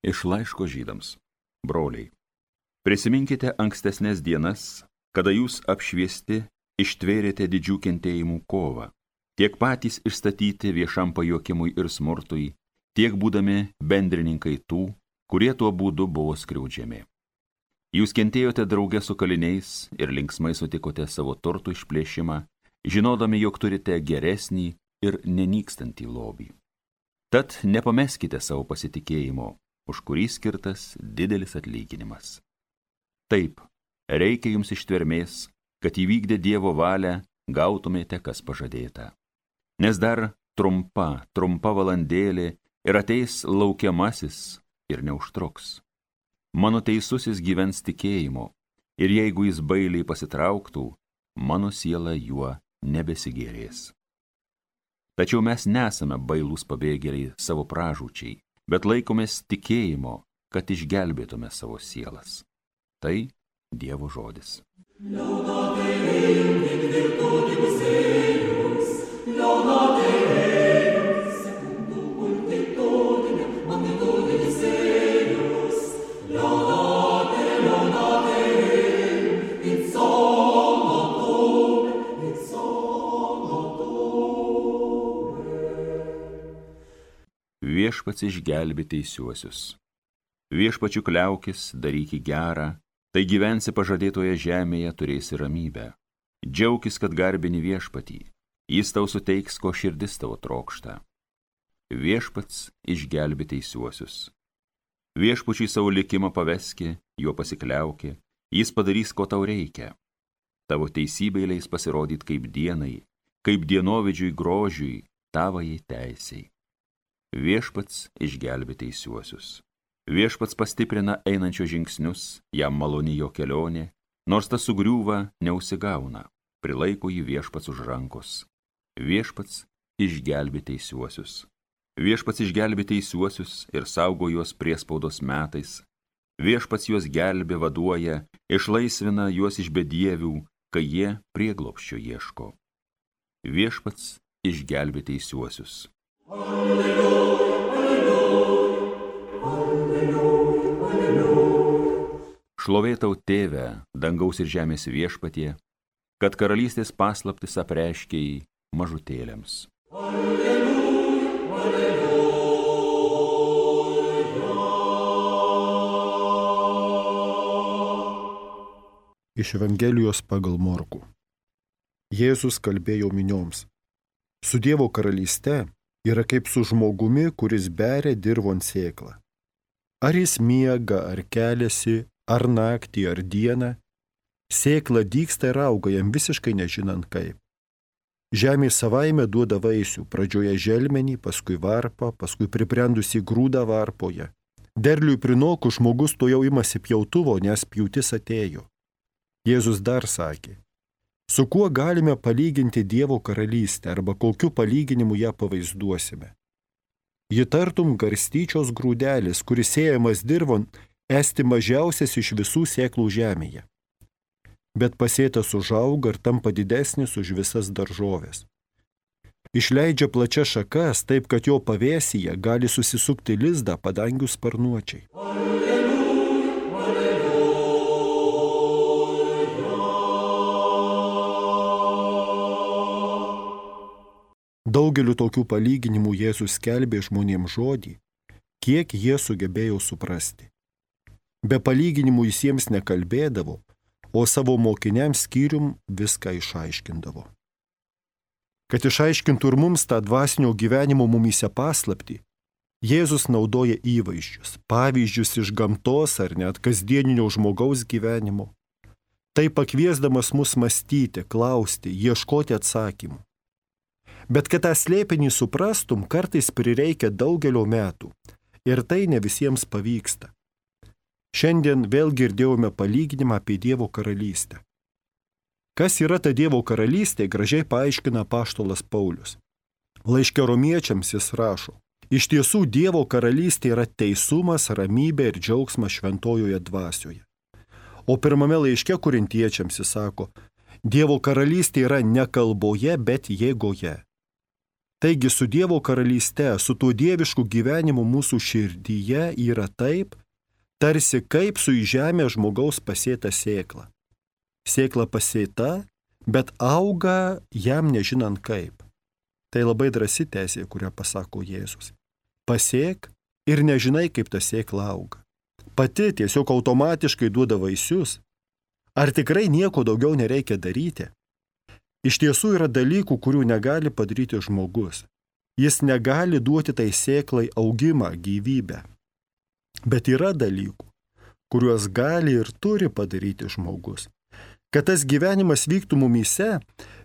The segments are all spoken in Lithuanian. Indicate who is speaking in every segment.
Speaker 1: Iš laiško Žydams. Broliai, prisiminkite ankstesnės dienas, kada jūs apšviesti ištvėrėte didžių kentėjimų kovą, tiek patys išstatyti viešam pajuokimui ir smurtui, tiek būdami bendrininkai tų, kurie tuo būdu buvo skriaudžiami. Jūs kentėjote drauge su kaliniais ir linksmai sutikote savo turtų išplėšimą, žinodami, jog turite geresnį ir nenykstantį lobį. Tad nepameskite savo pasitikėjimo, už kurį skirtas didelis atlyginimas. Taip, reikia jums ištvermės, kad įvykdę Dievo valią gautumėte, kas pažadėta. Nes dar trumpa valandėlė ir ateis laukiamasis ir neužtruks. Mano teisusis gyvens tikėjimu, ir jeigu jis bailiai pasitrauktų, mano siela juo nebesigėrės. Tačiau mes nesame bailūs pabėgėliai savo pražūčiai, bet laikomės tikėjimo, kad išgelbėtume savo sielas. Tai Dievo žodis. Viešpats išgelbė teisiuosius. Viešpačiu kliaukis, daryki gerą, tai gyvensi pažadėtoje žemėje, turėsi ramybę. Džiaukis, kad garbini viešpatį, jis tau suteiks, ko širdis tavo trokšta. Viešpats išgelbė teisiuosius. Viešpačiui savo likimą paveski, juo pasikliauki, jis padarys, ko tau reikia. Tavo teisybė leis pasirodyt kaip dienai, kaip dienovidžiui grožiui, tavajai teisiai. Viešpats išgelbė teisiuosius. Viešpats pastiprina einančio žingsnius, jam maloni jo kelionė, nors tas sugriūva, neužsigauna, prilaiko jį viešpats už rankos. Viešpats išgelbė teisiuosius. Viešpats išgelbė teisiuosius ir saugo juos priespaudos metais. Viešpats juos gelbė, vaduoja, išlaisvina juos iš bedievių, kai jie prieglobsčio ieško. Viešpats išgelbė teisiuosius. Šlovė tau, Tėve, dangaus ir žemės viešpatie, kad karalystės paslaptis apreiškei mažutėliams.
Speaker 2: Iš Evangelijos pagal Morkų. Jėzus kalbėjo minioms. Su Dievo karalyste yra kaip su žmogumi, kuris beria dirvon sėklą. Ar jis miega, ar keliasi, ar naktį, ar dieną, sėkla dygsta ir auga jam visiškai nežinant kaip. Žemė savaime duoda vaisių, pradžioje želmenį, paskui varpą, paskui pribrendusi grūdą varpoje. Derliui prinokus žmogus to jau imasi pjautuvo, nes pjūtis atėjo. Jėzus dar sakė, su kuo galime palyginti Dievo karalystę arba kokiu palyginimu ją pavaizduosime. Ji tartum garstyčios grūdelis, kuris sėjamas dirvon, esti mažiausias iš visų sėklų žemėje. Bet pasėtas užauga ir tampa didesnis už visas daržoves. Išleidžia plačias šakas, taip kad jo pavėsyje gali susisukti lizdą padangių sparnuočiai. Daugeliu tokių palyginimų Jėzus skelbė žmonėms žodį, kiek jie sugebėjo suprasti. Be palyginimų jis jiems nekalbėdavo, o savo mokiniams skyrium viską išaiškindavo. Kad išaiškintų ir mums tą dvasinio gyvenimo mumyse paslaptį, Jėzus naudoja įvaizdžius, pavyzdžius iš gamtos ar net kasdieninio žmogaus gyvenimo. Tai pakviesdamas mus mąstyti, klausti, ieškoti atsakymų. Bet kad tą slėpinį suprastum, kartais prireikia daugelio metų ir tai ne visiems pavyksta. Šiandien vėl girdėjome palyginimą apie Dievo karalystę. Kas yra ta Dievo karalystė, gražiai paaiškina apaštalas Paulius. Laiške Romiečiams jis rašo, iš tiesų Dievo karalystė yra teisumas, ramybė ir džiaugsmas šventojoje dvasioje. O pirmame laiške Korintiečiams jis sako, Dievo karalystė yra ne kalboje, bet jėgoje. Taigi su Dievo karalyste, su tuo dievišku gyvenimu mūsų širdyje yra taip, tarsi kaip su į žemę žmogaus pasėta sėkla. Sėkla pasėta, bet auga jam nežinant kaip. Tai labai drąsi tezė, kurią pasako Jėzus. Pasėk ir nežinai, kaip ta sėkla auga. Pati tiesiog automatiškai duoda vaisius. Ar tikrai nieko daugiau nereikia daryti? Iš tiesų yra dalykų, kurių negali padaryti žmogus. Jis negali duoti tai sėklai augimą, gyvybę. Bet yra dalykų, kuriuos gali ir turi padaryti žmogus. Kad tas gyvenimas vyktų mumyse,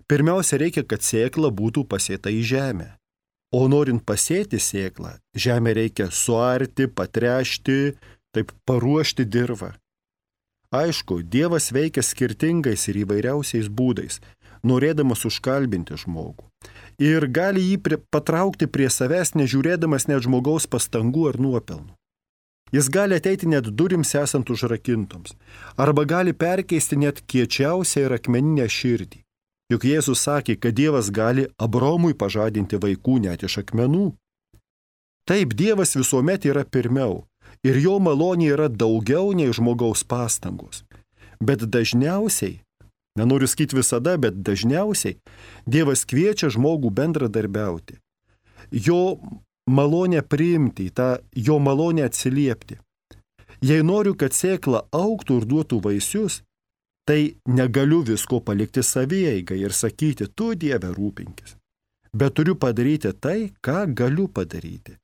Speaker 2: pirmiausia reikia, kad sėkla būtų pasėta į žemę. O norint pasėti sėklą, žemę reikia suarti, patręšti, taip paruošti dirvą. Aišku, Dievas veikia skirtingais ir įvairiausiais būdais, norėdamas užkalbinti žmogų. Ir gali jį patraukti prie savęs, nežiūrėdamas net žmogaus pastangų ar nuopelnų. Jis gali ateiti net durims esant užrakintoms, arba gali perkeisti net kiečiausią ir akmeninę širdį. Juk Jėzus sakė, kad Dievas gali Abromui pažadinti vaikų net iš akmenų. Taip, Dievas visuomet yra pirmiau, ir jo malonė yra daugiau nei žmogaus pastangos. Bet dažniausiai, nenoriu sakyti visada, bet dažniausiai Dievas kviečia žmogų bendradarbiauti. Jo malonę priimti, tą jo malonę atsiliepti. Jei noriu, kad sėkla augtų ir duotų vaisius, tai negaliu visko palikti savieigai ir sakyti, tu Dieve rūpinkis. Bet turiu padaryti tai, ką galiu padaryti.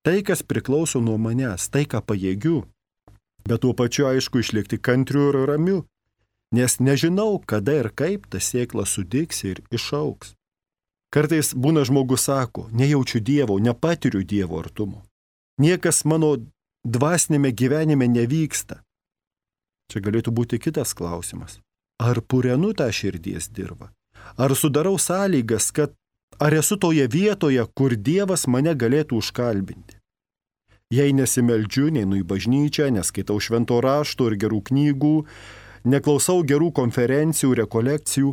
Speaker 2: Tai, kas priklauso nuo manęs, tai, ką pajėgiu. Bet tuo pačiu, aišku, išlikti kantriu ir ramiu, nes nežinau, kada ir kaip ta sėkla sudygs ir išaugs. Kartais būna žmogus sako, nejaučiu Dievo, nepatiriu Dievo artumo. Niekas mano dvasinėme gyvenime nevyksta. Čia galėtų būti kitas klausimas. Ar purenu tą širdies dirvą? Ar sudarau sąlygas, kad ar esu toje vietoje, kur Dievas mane galėtų užkalbinti? Jei nesimeldžiu, neinu į bažnyčią, neskaitau švento rašto ir gerų knygų, neklausau gerų konferencijų, rekolekcijų,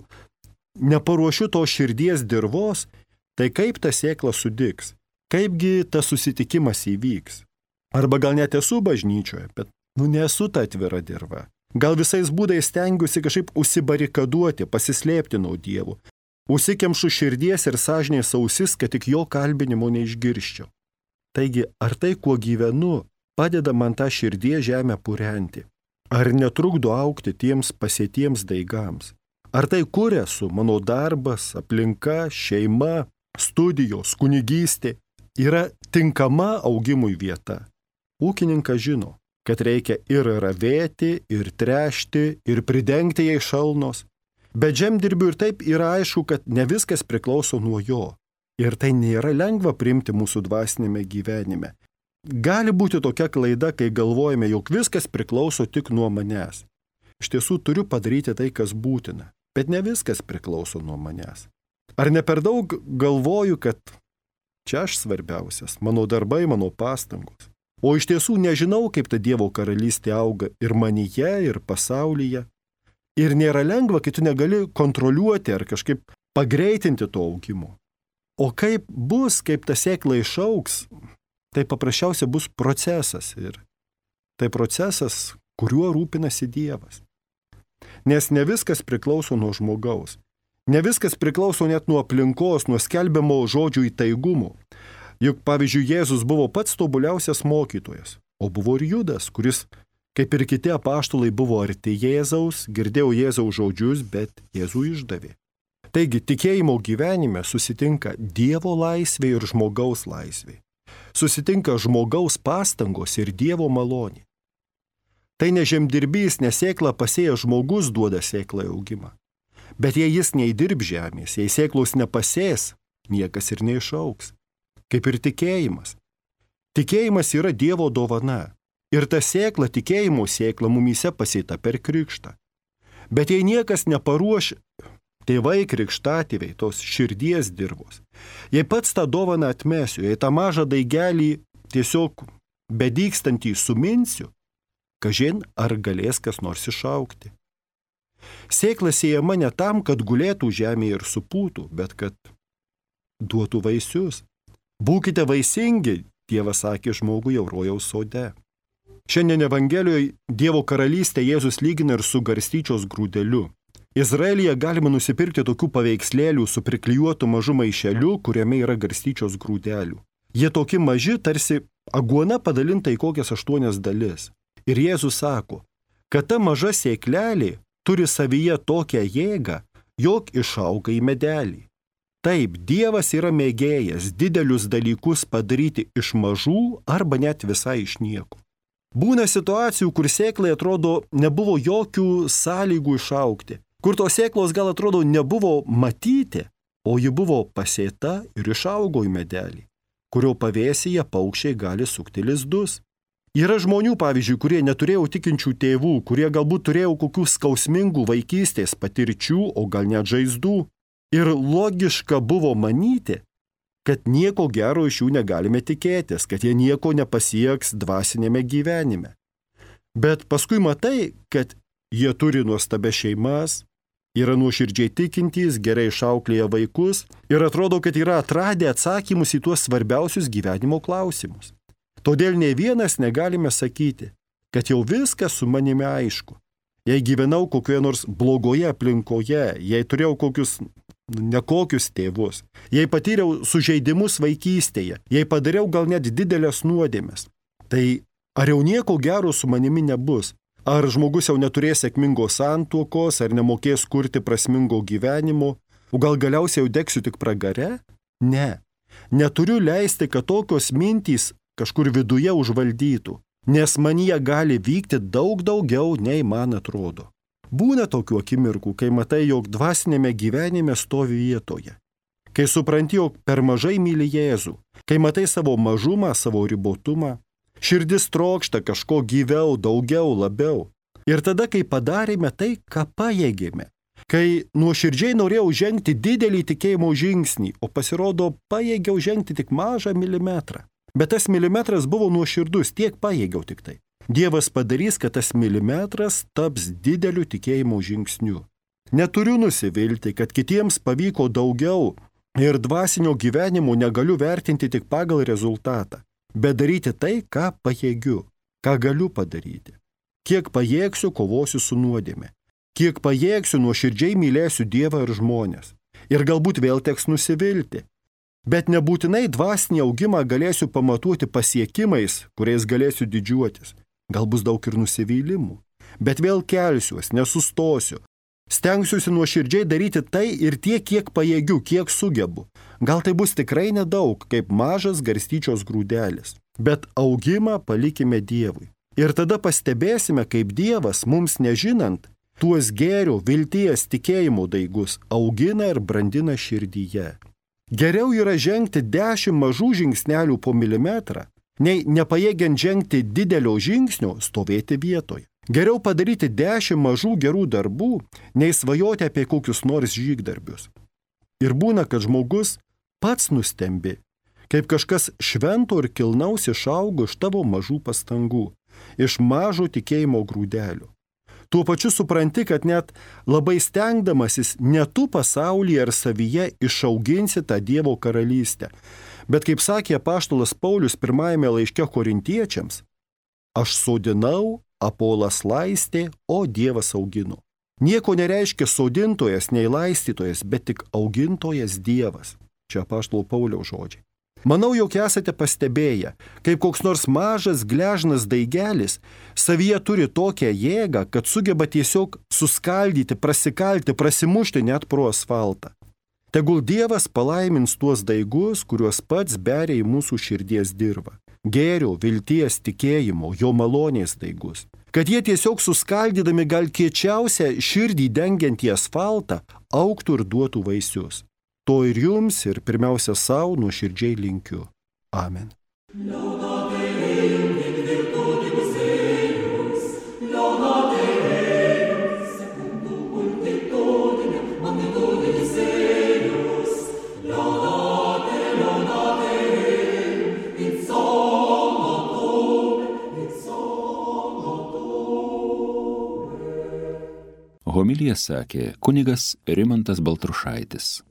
Speaker 2: neparuošiu to širdies dirvos, tai kaip ta sėkla sudygs? Kaipgi tas susitikimas įvyks? Arba gal net esu bažnyčioje, bet nesu ta atvira dirva. Gal visais būdais stengiuosi kažkaip užsibarikaduoti, pasislėpti nuo Dievo. Užsikemšu širdies ir sąžinės ausis, kad tik jo kalbinimo neišgirščiau. Taigi, ar tai, kuo gyvenu, padeda man tą širdies žemę purenti? Ar netrukdo augti tiems pasėtiems daigams? Ar tai, kur esu, mano darbas, aplinka, šeima, studijos, kunigystė, yra tinkama augimui vieta? Ūkininkas žino, kad reikia ir ravėti, ir tręšti, ir pridengti jai šalnos. Bet žemdirbiui ir taip yra aišku, kad ne viskas priklauso nuo jo. Ir tai nėra lengva priimti mūsų dvasinėme gyvenime. Gali būti tokia klaida, kai galvojame, jog viskas priklauso tik nuo manęs. Iš tiesų turiu padaryti tai, kas būtina, bet ne viskas priklauso nuo manęs. Ar ne per daug galvoju, kad čia aš svarbiausias, mano darbai, mano pastangos. O iš tiesų nežinau, kaip ta Dievo karalystė auga ir manyje, ir pasaulyje. Ir nėra lengva, kai tu negali kontroliuoti ar kažkaip pagreitinti to augimo. O kaip bus, kaip ta sėkla išaugs, tai paprasčiausiai bus procesas. Ir tai procesas, kuriuo rūpinasi Dievas. Nes ne viskas priklauso nuo žmogaus. Ne viskas priklauso net nuo aplinkos, nuo skelbiamo žodžių įtaigumo. Juk, pavyzdžiui, Jėzus buvo pats tobuliausias mokytojas, o buvo ir Judas, kuris, kaip ir kiti apaštalai, buvo arti Jėzaus, girdėjo Jėzaus žodžius, bet Jėzų išdavė. Taigi, tikėjimo gyvenime susitinka Dievo laisvė ir žmogaus laisvė. Susitinka žmogaus pastangos ir Dievo malonė. Tai ne žemdirbys, ne sėklą pasėjęs žmogus duoda sėklai augimą. Bet jei jis neįdirb žemės, jei sėklos nepasės, niekas ir neišaugs. Kaip ir tikėjimas. Tikėjimas yra Dievo dovana. Ir ta sėkla, tikėjimo sėkla mumyse pasėta per krikštą. Bet jei niekas neparuoš, tėvai krikštatėviai, tos širdies dirvos, jei pats tą dovaną atmesiu, jei tą mažą daigelį tiesiog bedykstantį suminsiu, kažin ar galės kas nors išaugti. Sėkla siejama ne tam, kad gulėtų žemėje ir supūtų, bet kad duotų vaisius. Būkite vaisingi, Dievas sakė žmogui jau rojaus sode. Šiandien Evangelijoje Dievo karalystę Jėzus lygina ir su garstyčios grūdeliu. Izraelyje galima nusipirkti tokių paveikslėlių su priklijuotu mažu maišeliu, kuriame yra garstyčios grūdelių. Jie tokie maži, tarsi aguona padalinta į kokias 8 dalis. Ir Jėzus sako, kad ta maža sėklelė turi savyje tokią jėgą, jog išauga į medelį. Taip, Dievas yra mėgėjas didelius dalykus padaryti iš mažų arba net visai iš nieko. Būna situacijų, kur sėklai atrodo nebuvo jokių sąlygų išaugti, kur tos sėklos gal atrodo nebuvo matyti, o ji buvo pasėta ir išaugo į medelį, kurio pavėsyje paukščiai gali sukti lizdus. Yra žmonių, pavyzdžiui, kurie neturėjo tikinčių tėvų, kurie galbūt turėjo kokių skausmingų vaikystės patirčių, o gal net žaizdų. Ir logiška buvo manyti, kad nieko gero iš jų negalime tikėtis, kad jie nieko nepasieks dvasinėme gyvenime. Bet paskui matai, kad jie turi nuostabias šeimas, yra nuoširdžiai tikintys, gerai išauklėję vaikus ir atrodo, kad yra atradę atsakymus į tuos svarbiausius gyvenimo klausimus. Todėl nei vienas negalime sakyti, kad jau viskas su manimi aišku. Jei gyvenau kokioje nors blogoje aplinkoje, jei turėjau kokius nekokius tėvus, jei patyriau sužeidimus vaikystėje, jei padariau gal net didelės nuodėmes, tai ar jau nieko gero su manimi nebus? Ar žmogus jau neturės sėkmingos santuokos, ar nemokės kurti prasmingo gyvenimo, o gal galiausiai jau degsiu tik pragare? Ne. Neturiu leisti, kad tokios mintys kažkur viduje užvaldytų, nes manyje gali vykti daug daugiau, nei man atrodo. Būna tokių akimirkų, kai matai, jog dvasinėme gyvenime stovi vietoje. Kai supranti, jog per mažai myli Jėzų, kai matai savo mažumą, savo ribotumą, širdis trokšta kažko gyviau, daugiau, labiau. Ir tada, kai padarėme tai, ką pajėgėme, kai nuoširdžiai norėjau žengti didelį tikėjimo žingsnį, o pasirodo pajėgiau žengti tik mažą milimetrą. Bet tas milimetras buvo nuoširdus, tiek pajėgiau tik tai. Dievas padarys, kad tas milimetras taps dideliu tikėjimo žingsniu. Neturiu nusivilti, kad kitiems pavyko daugiau ir dvasinio gyvenimo negaliu vertinti tik pagal rezultatą, bet daryti tai, ką pajėgiu, ką galiu padaryti. Kiek pajėgsiu, kovosiu su nuodėme. Kiek pajėgsiu, nuoširdžiai mylėsiu Dievą ir žmonės. Ir galbūt vėl teks nusivilti. Bet nebūtinai dvasinį augimą galėsiu pamatuoti pasiekimais, kuriais galėsiu didžiuotis. Gal bus daug ir nusivylimų. Bet vėl kelsiuos, nesustosiu. Stengsiuosi nuoširdžiai daryti tai ir tiek, kiek pajėgiu, kiek sugebu. Gal tai bus tikrai nedaug, kaip mažas garstyčios grūdelis. Bet augimą palikime Dievui. Ir tada pastebėsime, kaip Dievas, mums nežinant, tuos gėrio, vilties, tikėjimo daigus augina ir brandina širdyje. Geriau yra žengti 10 mažų žingsnelių po milimetrą, nei nepajėgiant žengti didelio žingsnio stovėti vietoje. Geriau padaryti 10 mažų gerų darbų, nei svajoti apie kokius nors žygdarbius. Ir būna, kad žmogus pats nustembi, kaip kažkas švento ir kilnaus išaugo iš tavo mažų pastangų, iš mažo tikėjimo grūdelio. Tuo pačiu supranti, kad net labai stengdamasis ne tu pasaulyje ar savyje išauginsi tą Dievo karalystę. Bet kaip sakė apaštalas Paulius pirmajame laiške Korintiečiams, aš sodinau, Apolas laistė, o Dievas augino. Nieko nereiškia sodintojas, nei laistytojas, bet tik augintojas Dievas. Čia apaštalo Pauliaus žodžiai. Manau, jog esate pastebėję, kaip koks nors mažas gležnas daigelis savyje turi tokią jėgą, kad sugeba tiesiog suskaldyti, prasikalti, prasimušti net pro asfaltą. Tegul Dievas palaimins tuos daigus, kuriuos pats beria į mūsų širdies dirvą. Gėrio, vilties, tikėjimo, jo malonės daigus. Kad jie tiesiog suskaldydami gal kiečiausią širdį dengiantį asfaltą augtų ir duotų vaisius. To ir jums, ir pirmiausia savo nuoširdžiai linkiu. Amen.
Speaker 1: Homiliją sakė kunigas Rimantas Baltrušaitis.